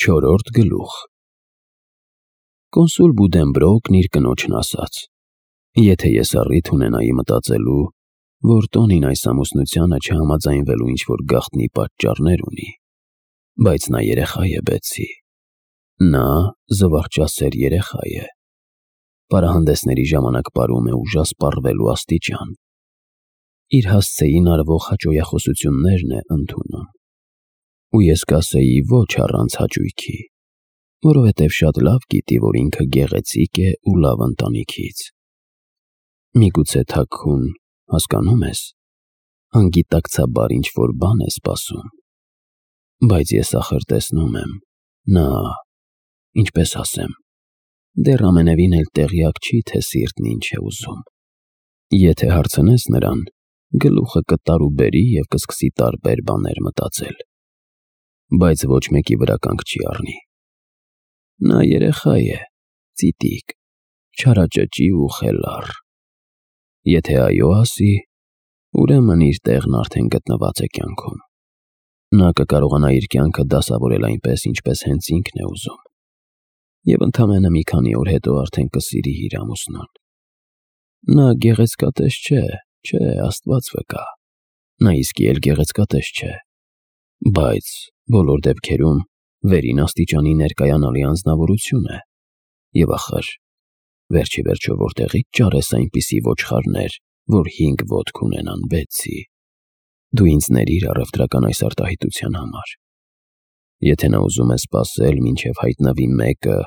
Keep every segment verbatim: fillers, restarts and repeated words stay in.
Չորրորդ գլուխ Կոնսուլ Բուդենբրոկն իր կնոջն ասաց. «Եթե ես առիթ ունենայի մտածելու, որ Տոնին այս ամուսնությանը չհամաձայնվելու ինչ-որ գաղտնի պատճառներ ունի, բայց նա երեխա է, Բեցի, նա զվարճասեր երեխա է, պարահանդեսների ժամանակ պարում է ուժասպառվելու աստիճան, իր հասցեին արվող հաճոյախոսություններն է ընդունում, ու ես կասեի ոչ առանց հաճույքի, որովհետև շատ լավ գիտի, որ ինքը գեղեցիկ է ու լավ ընտանիքից։ Միգուցե թաքուն, հասկանո՞ւմ ես, անգիտակցաբար ինչ-որ բան է սպասում, բայց ես ախր տեսնում եմ, նա, ինչպես ասեմ, դեռ ամենևին էլ տեղյակ չի, թե սիրտն ինչ է ուզում։ Եթե հարցնես նրան, գլուխը կտարուբերի և կսկսի տարբեր բաներ մտածել, բայց ոչ մեկի վրա կանգ չի առնի։ Նա երեխա է, ծիտիկ, չարաճճի ու խելառ։ Եթե այո ասի, ուրեմն իր տեղն արդեն գտնված է կյանքում։ Նա կկարողանա իր կյանքը դասավորել այնպես, ինչպես հենց ինքն է ուզում, և ընդամենը մի քանի օր հետո արդեն կսիրի իր ամուսնուն։ Նա գեղեցկատես չէ, չէ, Աստված վկա, նա իսկի էլ գեղեցկատես չէ, բայց բոլոր դեպքերում վերին աստիճանի ներկայանալի անձնավորություն է, և ախր, վերջիվերջո որտեղի՞ց ճարես այնպիսի ոչխարներ, որ հինգ ոտք ունենան, Բեցի։ Դու ինձ ներիր առևտրական այս արտահայտության համար։ Եթե նա ուզում է սպասել, մինչև հայտնվի մեկը,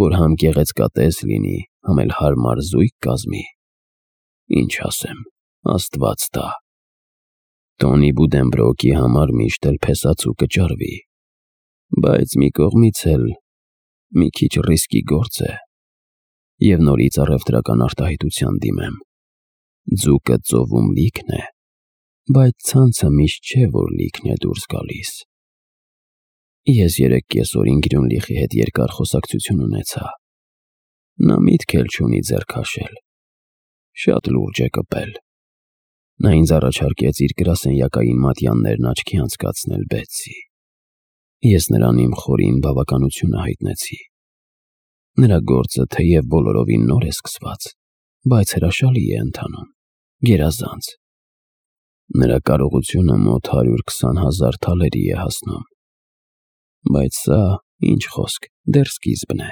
որ համ գեղեցկատես լինի, համ էլ հարմար զույգ կազմի, ինչ ասեմ, Աստված տա։ Տոնի Բուդենբրոկի համար միշտ էլ փեսացու կճարվի, բայց մի կողմից էլ մի քիչ ռիսկի գործ է, և նորից առևտրական արտահայտության դիմեմ։ Ձուկը ծովում լիքն է, բայց ցանցը միշտ չէ, որ լիքն է դուրս գալիս։ Ես երեկ կեսօրին Գրյունլիխի հետ երկար խոսակցություն ունեցա։ Նա միտք էլ չունի ձեռ քաշել։ Շատ լուրջ է կպել։ Նա ինձ առաջարկեց իր գրասենյակային մատյաններն աչքի անցկացնել, Բեցի։ Ես նրան իմ խորին բավականությունը հայտնեցի։ Նրա գործը թեև բոլորովին նոր է սկսված, բայց հրաշալի է ընթանում, գերազանց։ Նրա կարողությունը մոտ հարյուր քսան հազար թալերի է հասնում։ Բայց սա, ինչ խոսք, դեռ սկիզբն է։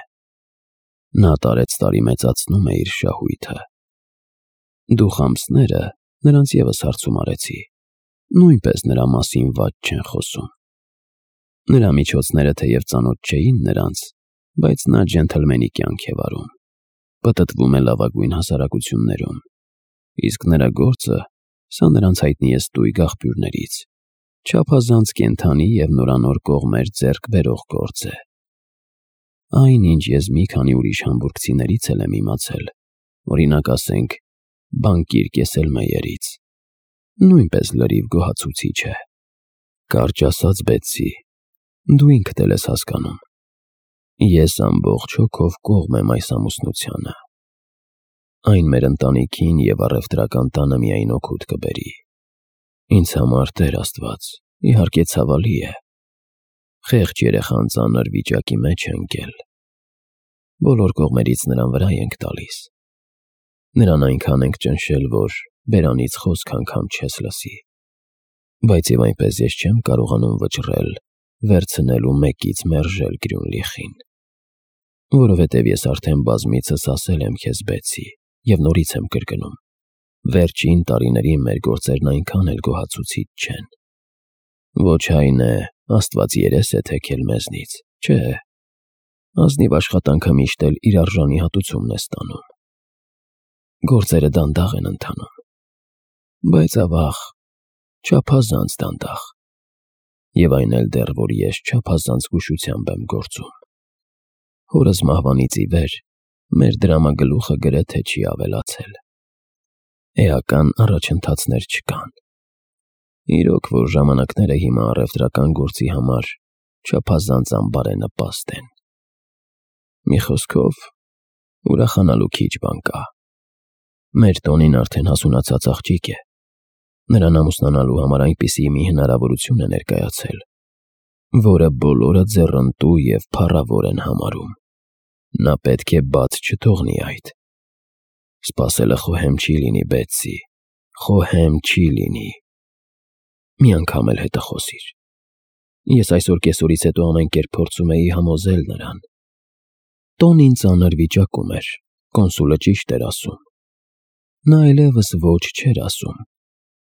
Նա տարեցտարի մեծացնում է իր շահույթը։ Դու խամսները նրանց ևս հարցում արեցի, նույնպես նրա մասին վատ չեն խոսում։ Նրա միջոցները թեև ծանոթ չէին նրանց, բայց նա ջենթլմենի կյանք է վարում, պտտվում է լավագույն հասարակություններում, իսկ նրա գործը, սա նրանց հայտնի է ստույգ աղբյուրներից, չափազանց կենդանի և նորանոր կողմեր ձեռք բերող գործ է։ Այն, ինչ ես մի քանի ուրիշ համբուրգցիներից էլ եմ իմացել, օրինակ ասենք, բանկիր Կեսելմեյերից, նույնպես լրիվ գոհացուցիչ է։ Կարճ ասած, Բեցի, դու ինքդ էլ ես հասկանում, ես ամբողջ հոգով կողմ եմ այս ամուսնությանը։ Այն մեր ընտանիքին և առևտրական տանը միայն օգուտ կբերի։ Ինձ համար, Տեր Աստված, իհարկե ցավալի է։ Խեղճ երեխան ծանր վիճակի մեջ է ընկել։ Բոլոր կողմերից նրան վրա ենք տալիս։ Նրան այնքան ենք ճնշել, որ բերանից խոսք անգամ չես լսի։ Բայց և այնպես ես չեմ կարողանում վճռել վերցնել ու մեկից մերժել Գրյունլիխին, որովհետև ես արդեն բազմիցս ասել եմ քեզ, Բեցի, և նորից եմ կրկնում, վերջին տարիներին մեր գործերն այնքան էլ գոհացուցիչ չեն։ Ոչ այն է, Աստված երես է թեքել մեզնից, չէ, ազնիվ աշխատանքը միշտ էլ իր արժանի հատուցումն է ստանում։ Գործերը դանդաղ են ընթանում, բայց ավաղ, չափազանց դանդաղ, և այն էլ դեռ, որ ես չափազանց զգուշությամբ եմ գործում։ Հորս մահվանից ի վեր մեր դրամագլուխը գրեթե չի ավելացել։ Էական առաջընթացներ չկան։ Իրոք, որ ժամանակները հիմա առևտրական գործի համար չափազանց անբարենպաստ են։ Մի խոսքով, ուրախանալու քիչ բան կա։ Մեր Տոնին արդեն հասունացած աղջիկ է։ Նրան ամուսնանալու համար այնպիսի մի հնարավորություն է ներկայացել, որը բոլորը ձեռնտու և փառավոր են համարում։ Նա պետք է բաց չթողնի այդ։ Սպասելը խոհեմ չի լինի, Բեթսի, խոհեմ չի լինի։ Մի անգամ էլ հետը խոսիր։ Ես այսօր կեսօրից հետո ամեն կերպ փորձում էի համոզել նրան։ Տոնին ծանր վիճակում էր, կոնսուլը ճիշտ էր ասում։ Նա այլևս ոչ չէր ասում,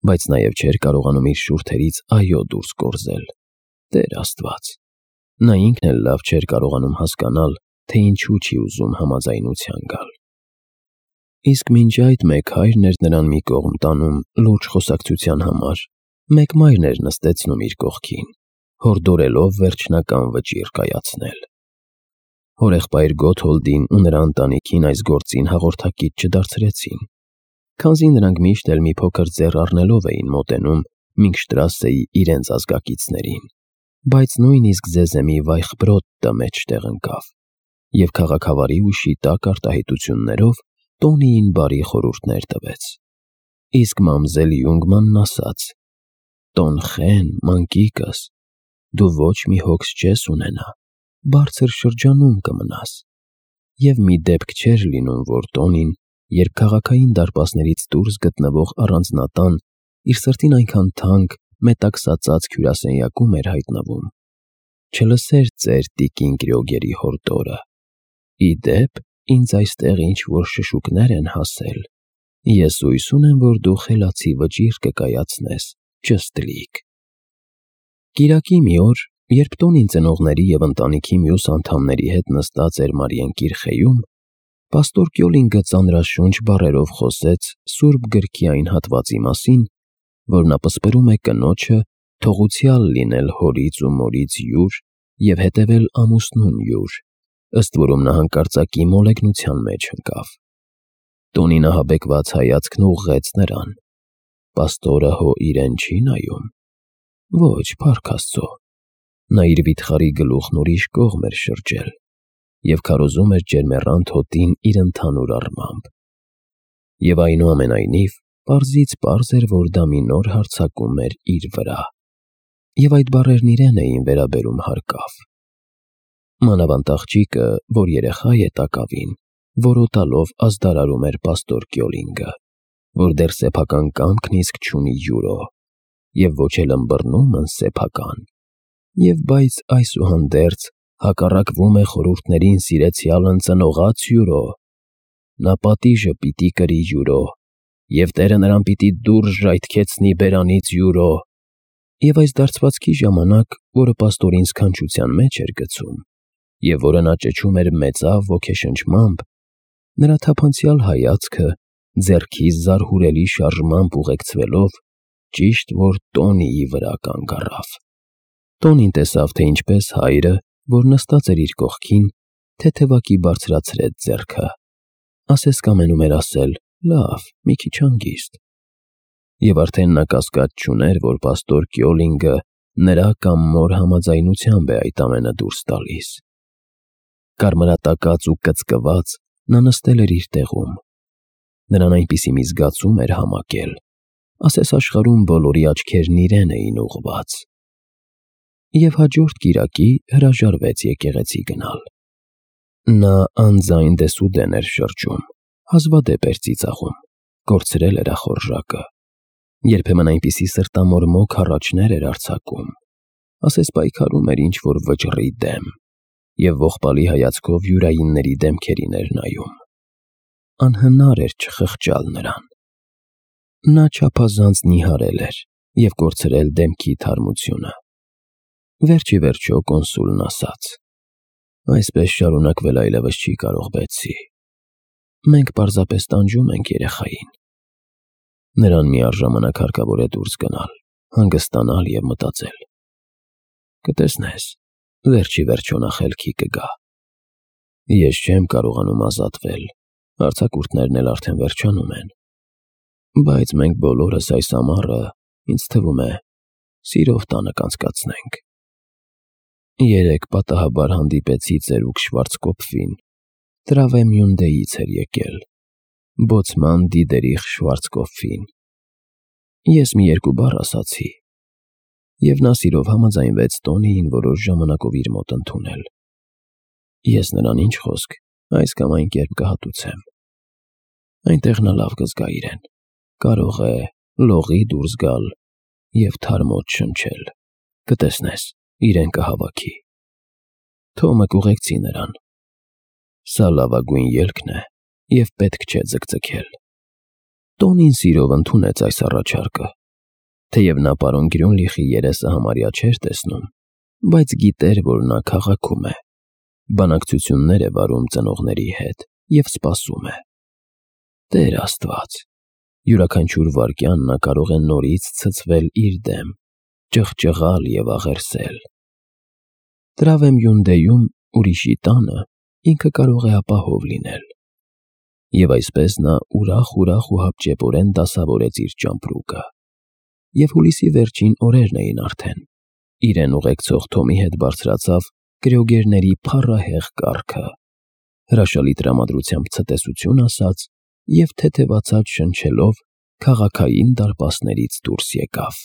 բայց նաև չէր կարողանում իր շուրթերից այո դուրս կորզել։ Տեր Աստված։ Նա ինքն էլ լավ չէր կարողանում հասկանալ, թե ինչու չի ուզում համաձայնության գալ։ Իսկ մինչ այդ մեկ հայրն էր նրան մի կողմ տանում լուրջ խոսակցության համար, մեկ մայրն էր նստեցնում իր կողքին, հորդորելով վերջնական վճիռ կայացնել։ Հորեղբայր Գոթհոլդին ու նրա ընտանիքին այս գործին հաղորդակից չդարձրեցին, քանզի նրանք միշտ էլ մի փոքր ձեռ առնելով էին մոտենում Մինգշտրասեի իրենց ազգակիցներին, բայց նույնիսկ Զեզեմի Վայխբրոդը մեջտեղ ընկավ, և քաղաքավարի ու շիտակ արտահայտություններով Տոնիին բարի խորհուրդներ տվեց։ Իսկ մամզել Յունգմանն ասաց. «Տոն Խեն, մանկիկս, դու ոչ մի հոգս չես ունենա, բարձր շրջանում կմնաս»։ Եվ մի դեպք չէր լինում, որ Տոնին, երբ քաղաքային դարպասներից դուրս գտնվող առանձնատան իր սրտին այնքան թանկ, մետաքսածածկ հյուրասենյակում էր հայտնվում, չլսեր ծեր տիկին Կրյոգերի հորդորը. «Ի դեպ, ինձ այստեղ ինչ-որ շշուկներ են հասել, ես հույս ունեմ, որ դու խելացի վճիռ կկայացնես, ճշտլիկ»։ Կիրակի մի օր, երբ Տոնին ծնողների և ընտանիքի մյուս անդամների հետ նստած էր Մարիենկիր խեյում, պաստոր Կյոլինգը ծանրաշունչ բառերով խոսեց Սուրբ Գրքի այն հատվածի մասին, որ նա պսպրում է կնոջը թողուցյալ լինել հորից ու մորից յուր և հետևել ամուսնուն յուր, ըստ որում նա հանկարծակի մոլեգնության մեջ ընկավ։ Տոնին ահաբեկված հայացքն ուղղեց նրան։ Պաստորը հո իրեն չի նայում։ Ոչ, փառք Աստծո։ Նա իր վիթխարի գլուխն ուրիշ կողմ էր շրջել և քարոզում էր ջերմեռանդ հոտին իր ընդհանուր առմամբ։ Եվ այնուամենայնիվ, պարզից պարզ էր, որ դա մի նոր հարձակում էր իր վրա։ Եվ այդ բառերն իրեն էին վերաբերում հարկավ։ Մանավանդ աղջիկը, որ երեխա է տակավին, որոտալով ազդարարում էր պաստոր Կյոլինգը, որ դեռ սեփական կամքն իսկ չունի յուրո, և ոչ էլ ըմբռնումն սեփական, և բայց այսուհանդերձ հակառակվում է խորհուրդներին սիրեցյալն ծնողաց յուրո։ Նա պատիժը պիտի կրի յուրո, և Տերը նրան պիտի դուրս ժայթքեցնի բերանից յուրո։ Եվ այս դարձվածքի ժամանակ, որը պաստորին սքանչության մեջ էր գցում, և որը նա ճչում էր մեծավ ոգեշնչմամբ, նրա թափանցյալ հայացքը, ձեռքի զարհուրելի շարժմամբ ուղեկցվելով, ճիշտ որ Տոնիի վրա կանգ առավ։ Տոնին տեսավ, թե ինչպես հայրը, որ նստած էր իր կողքին, թեթևակի բարձրացրեց ձեռքը, ասես կամենում էր ասել. «Լավ, մի քիչ հանգիստ»։ Եվ արդեն նա կասկած չուներ, որ պաստոր Կյոլինգը նրա կամ մոր համաձայնությամբ է այդ ամենը դուրս տալիս։ Կարմրատակած ու կծկված նա նստել էր իր տեղում։ Նրան այնպիսի մի զգացում էր համակել, ասես աշխարհում բոլորի աչքերն իրեն էին ուղղված։ Եվ հաջորդ կիրակի հրաժարվեց եկեղեցի գնալ։ Նա անձայն դեսուդեն էր շրջում, հազվադեպ էր ծիծաղում, կորցրել էր ախորժակը, երբեմն այնպիսի սրտամորմոք հառաչներ էր արձակում, ասես պայքարում էր ինչ-որ վճռի դեմ, և ողբալի հայացքով յուրայինների դեմքերին էր նայում։ Անհնար էր չխղճալ նրան։ Նա չափազանց նիհարել էր և կորցրել դեմքի թարմությունը։ Վերջ ի վերջո կոնսուլն ասաց. «Այսպես շարունակվել այլևս չի կարող, Բեթսի։ Մենք պարզապես տանջում ենք երեխային»։ Նրան միառժամանակ հարկավոր է դուրս գնալ, հանգստանալ և մտածել։ Կտեսնես, վերջ ի վերջո նա խելքի կգա։ Ես չեմ կարողանում ազատվել, արձակուրդներն էլ արդեն վերջանում են, բայց մենք բոլորս այս ամառը, ինձ թվում է, սիրով տանը կանցկացնենք։ Երեկ պատահաբար հանդիպեցի ծերուկ Շվարցկոպֆին, Տրավեմյունդեից էր եկել, բոցման Դիդերիխ Շվարցկոպֆին։ Ես մի երկու բառ ասացի։ և նա սիրով համաձայնվեց Տոնիին որոշ ժամանակով իր մոտ ընդունել։ Ես նրան ինչ խոսք, այս կամ այն կերպ կհատուցեմ։ Այնտեղ նա լավ կզգա իրեն, կարող է լողի դուրս գալ և թարմոց շնչել, կտեսնես, իրեն կհավաքի։ Թոմը կուղեկցի նրան։ Սա լավագույն ելքն է և պետք չէ ձգձգել։ Տոնին սիրով ընդունեց այս առաջարկը, թեև նա պարոն Գրյունլիխի երեսը համարյա չէր տեսնում, բայց գիտեր, որ նա քաղաքում է, բանակցություններ է վարում ծնողների հետ և սպասում է։ Տեր Աստված, յուրաքանչյուր վայրկյան նա կարող է նորից ցցվել իր դեմ, ճղճղալ և աղերսել։ Տրավեմ֊Յունդեում, ուրիշի տանը, ինքը կարող է ապահով լինել։ Եվ այսպես նա ուրախ-ուրախ ու հապճեպորեն դասավորեց իր ճամպրուկը։ Եվ հուլիսի վերջին օրերն էին արդեն, իրեն ուղեկցող Թոմի հետ բարձրացավ կրյոգերների փառահեղ կառքը, հրաշալի տրամադրությամբ ցտեսություն ասաց և թեթևացած շնչելով քաղաքային դարպասներից դուրս եկավ։